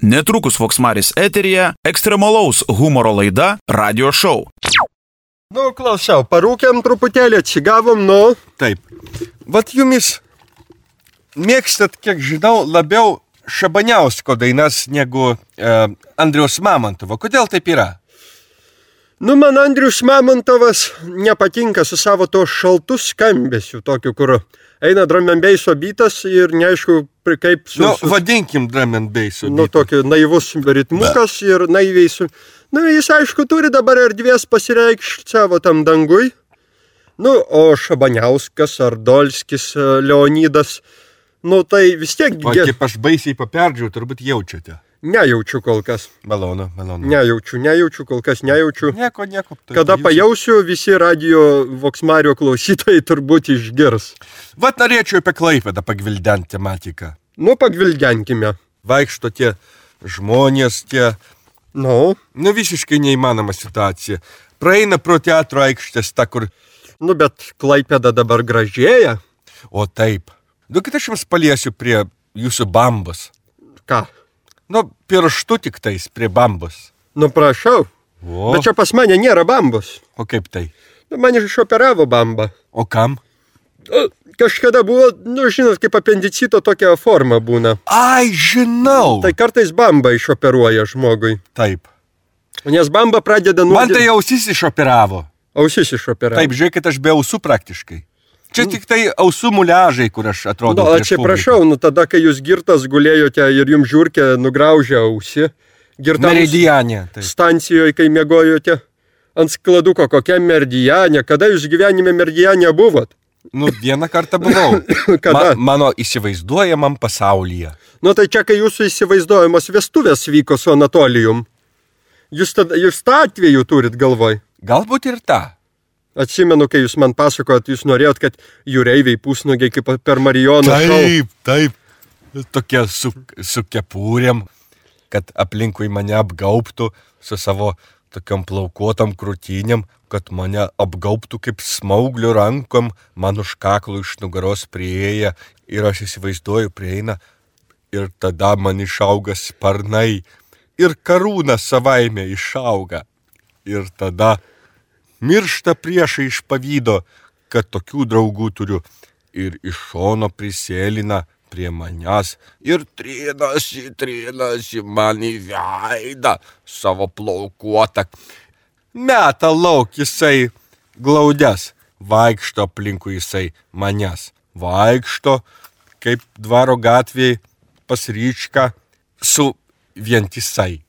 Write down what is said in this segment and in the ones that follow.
Netrukus Voksmaris eteryje ekstremalaus humoro laida Radio Show. Nu, klausau, parūkėm truputėlį, atsigavom, nu. Taip. Vat jumis mėgstat, kiek žinau, labiau Šabaniausko dainas negu Andriaus Mamontovo. Kodėl taip yra? Nu, man Andrius Mamontovas nepatinka su savo to šaltu skambesiu, tokiu, kur eina drum and basso bitas ir neaišku, kaip su... Nu, vadinkim drum and basso bitą. Nu, tokio naivus ritmukas ir naiviai su... Nu, jis, aišku, turi dabar erdvės pasireikšti savo tam dangui. Nu, o Šabaniauskas, Ardolskis, Leonidas, nu, tai vis tiek... O kaip aš baisiai paperdžiau, turbūt jaučiate. Nejaučiu kol kas. Malonu. Nejaučiu, kol kas nejaučiu. Nieko. Kada pajausiu, visi radio Voksmario klausytojai turbūt išgirs. Vat norėčiau apie Klaipėdą pagvildenti tematiką. Nu, pagvildenkime. Vaikšto tie žmonės, tie... Nu, visiškai neįmanoma situacija. Praeina pro teatro aikštės, ta kur... Nu, bet Klaipėda dabar gražėja. O taip. Duokit aš jums paliesiu prie jūsų bambos. Ką? Nu, pirštu tik tais prie bambos. Nu, prašau. O. Bet čia pas mane nėra bambos. O kaip tai? Nu, man išoperavo bambą. O kam? Kažkada buvo, nu, žinot, kaip apendicito tokia forma būna. Ai, žinau. Tai kartais bamba išoperuoja žmogui. Taip. Nes bamba pradeda Man tai ausis išoperavo. Ausis išoperavo. Taip, žiūrėkit, aš be ausų praktiškai. Čia tik tai ausų muliažai, kur aš atrodau nu, prieš atsiprašau, publiką. nu tada, kai jūs girtas gulėjote ir jums žiūrkė nugraužė ausį. Meridiane. Stancijoje, kai miegojote. Ant skladuko, kokia Meridiane. Kada jūs gyvenime Meridiane buvot? Nu, vieną kartą buvau. Kada? Mano įsivaizduojamam pasaulyje. Nu, tai čia, kai jūsų įsivaizduojamos vestuvės vyko su Anatolijum. Jūs tą atveju turit galvoj? Galbūt ir tą. Atsimenu, kai jūs man pasakojat, jūs norėjot, kad jūreiviai pusnugiai kaip per Marijono šou. Taip. Tokia su kepūrėm, kad aplinkui mane apgaubtų su savo tokiom plaukuotom krūtinėm, kad mane apgaubtų kaip smauglių rankom, man už kaklų iš nugaros prieėja ir aš įsivaizduoju prieina ir tada man išauga sparnai ir karūna savaime išauga ir tada miršta priešai iš pavydo, kad tokių draugų turiu ir iš šono prisėlina prie manęs ir trinasi man į veidą savo plaukuotą. Meta lauk jisai glaudės, vaikšto aplinkui jisai manęs, vaikšto kaip dvaro gatvėje pas Ryčką su vientisai.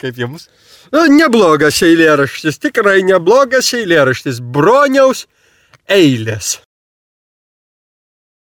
Kaip jums? Neblogas eilėraštis, tikrai neblogas eilėraštis. Broniaus eilės.